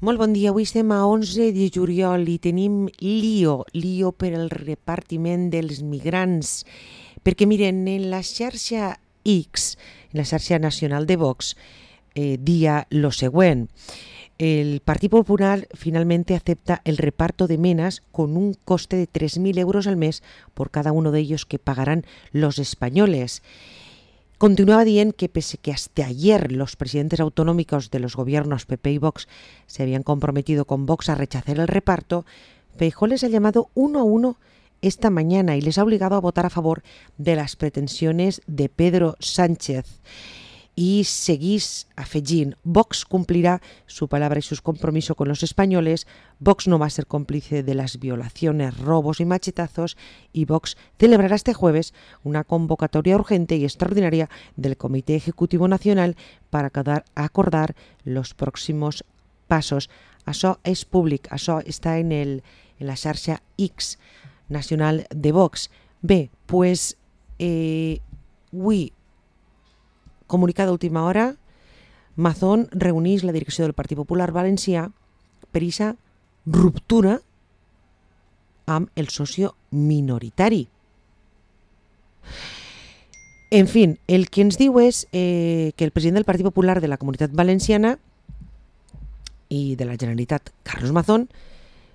Molt bon dia, avui estem a 11 de juliol i tenim lío per el repartiment dels migrants, perquè miren, en la xarxa X, en la xarxa nacional de Vox, dia lo següent. El Partido Popular finalmente acepta el reparto de menas con un coste de 3.000 euros al mes por cada uno de ellos que pagarán los españoles. Continuaba diciendo que pese que hasta ayer los presidentes autonómicos de los gobiernos PP y Vox se habían comprometido con Vox a rechazar el reparto, Feijóo les ha llamado uno a uno esta mañana y les ha obligado a votar a favor de las pretensiones de Pedro Sánchez. Y seguís afegint, Vox cumplirá su palabra y sus compromisos con los españoles, Vox no va a ser cómplice de las violaciones, robos y machetazos, y Vox celebrará este jueves una convocatoria urgente y extraordinaria del Comité Ejecutivo Nacional para acordar los próximos pasos. Això és públic, això està en la xarxa X nacional de Vox. Bé, pues, avui, comunicat d'última hora, Mazón reuneix la direcció del Partit Popular Valencià per aquesta ruptura amb el socio minoritari. En fi, el que ens diu és que el president del Partit Popular de la Comunitat Valenciana i de la Generalitat, Carlos Mazón,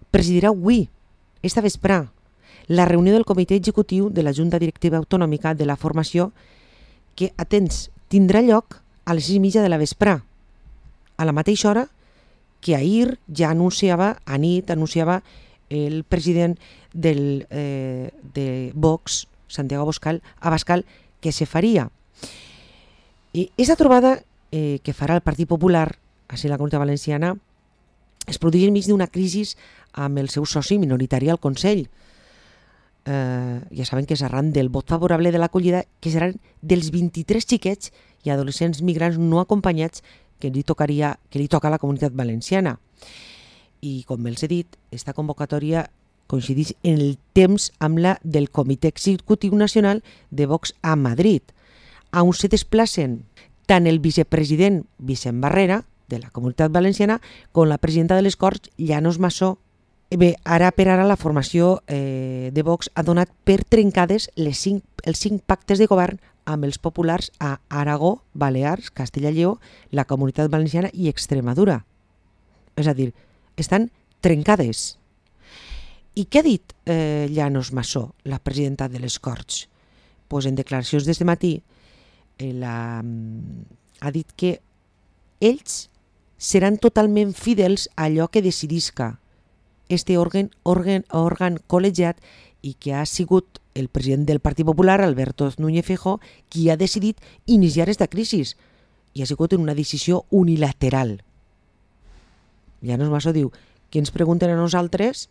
presidirà avui, esta vesprà, la reunió del Comitè Executiu de la Junta Directiva Autonòmica de la Formació que, atents, tindrà lloc a les 6:30 de la vesprà, a la mateixa hora que ahir ja anunciava el president de Vox, Santiago Abascal, que se faria. I aquesta trobada que farà el Partit Popular, així la Comunitat Valenciana, es produeix enmig d'una crisi amb el seu soci minoritari al Consell. Ja saben que és arran del vot favorable de l'acollida, que seran dels 23 xiquets i adolescents migrants no acompanyats que li toca a la Comunitat Valenciana. I com els he dit, aquesta convocatòria coincideix en el temps amb la del Comitè Executiu Nacional de Vox a Madrid, on se desplacen tant el vicepresident Vicent Barrera, de la Comunitat Valenciana, com la presidenta de les Corts, Llanos Massó. Bé, ara per ara la formació de Vox ha donat per trencades els 5 pactes de govern amb els populars a Aragó, Balears, Castella i Lleó, la Comunitat Valenciana i Extremadura. És a dir, estan trencades. I què ha dit Llanos Massó, la presidenta de les Corts? Pues en declaracions d'este matí ha dit que ells seran totalment fidels a allò que decidisca este òrgan col·legiat i que ha sigut el president del Partit Popular, Alberto Núñez Feijóo, qui ha decidit iniciar aquesta crisi i ha sigut en una decisió unilateral. Llanos Massó diu que ens pregunten a nosaltres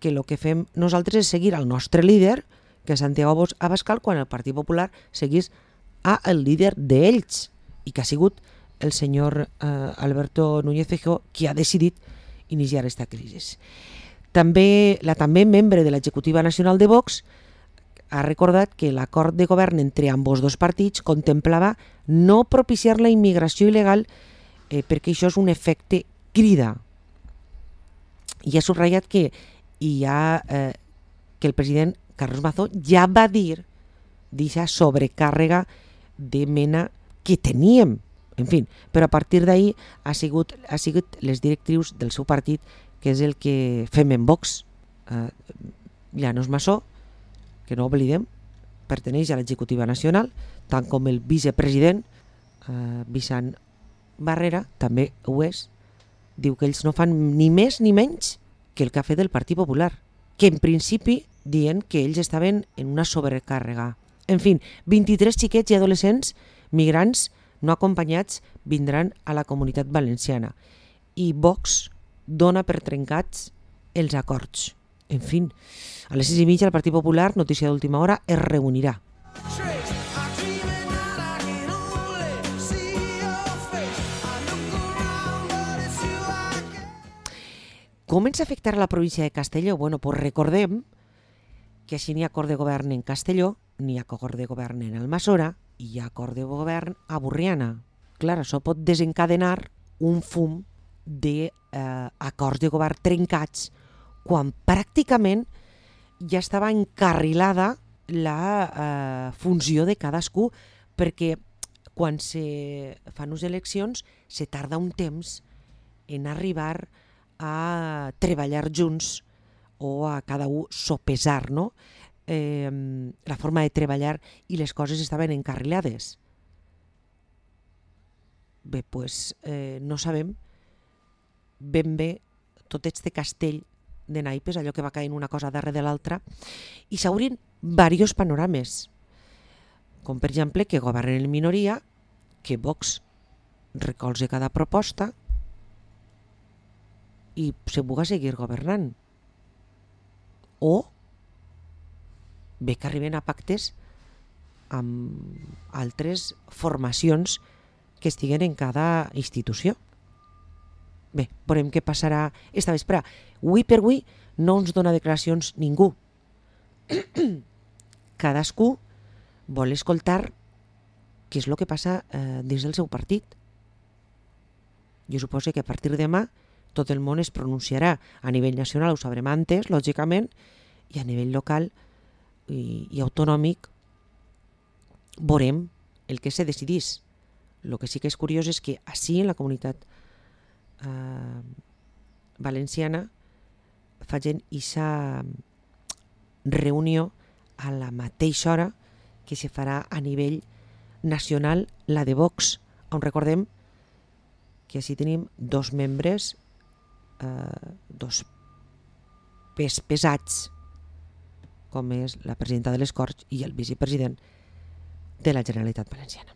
que el que fem nosaltres és seguir al nostre líder, que és Santiago Abascal, quan el Partit Popular seguís al líder d'ells i que ha sigut el senyor Alberto Núñez Feijóo qui ha decidit iniciar aquesta crisi. També membre de l'executiva nacional de Vox ha recordat que l'acord de govern entre ambos dos partits contemplava no propiciar la immigració il·legal perquè això és un efecte crida. I ha subratllat que el president Carlos Mazón ja va dir d'aquesta sobrecàrrega de mena que teníem. En fi, però a partir d'ahir ha sigut les directrius del seu partit, que és el que fem en Vox. Llanos Massó, que no oblidem, perteneix a l'executiva nacional, tant com el vicepresident Vicent Barrera també ho és. Diu que ells no fan ni més ni menys que el que ha fet el Partit Popular, que en principi diuen que ells estaven en una sobrecàrrega. En fi, 23 xiquets i adolescents migrants no acompanyats vindran a la Comunitat Valenciana i Vox dona per trencats els acords. En fi, a les 6:30 el Partit Popular, notícia d'última hora, es reunirà. Com ens afectarà la província de Castelló? Bueno, pues recordem que si n'hi ha acord de govern en Castelló, n'hi ha acord de govern en Almassora i hi ha acord de govern a Borriana. Clar, això pot desencadenar un fum de acords de govern trencats quan pràcticament ja estava encarrilada la funció de cadascú, perquè quan se fan unes eleccions se tarda un temps en arribar a treballar junts o a cada un sopesar, no? La forma de treballar, i les coses estaven encarrilades. Bé, doncs no sabem ben bé tot este castell de naipes, allò que va caient una cosa darrere de l'altra, i s'obrin diversos panorames, com per exemple que governen en minoria, que Vox recolze cada proposta i se puga seguir governant, o bé que arriben a pactes amb altres formacions que estiguen en cada institució. Bé, veurem què passarà esta vespre. Avui per avui no ens dona declaracions ningú. Cadascú vol escoltar què és el que passa dins del seu partit. Jo suposo que a partir de demà tot el món es pronunciarà. A nivell nacional ho sabrem antes, lògicament, i a nivell local i autonòmic veurem el que se decidís. El que sí que és curiós és que així en la comunitat valenciana facin aquesta reunió a la mateixa hora que se farà a nivell nacional la de Vox, on recordem que així tenim dos membres, dos pes pesats, com és la presidenta de les Corts i el vicepresident de la Generalitat Valenciana.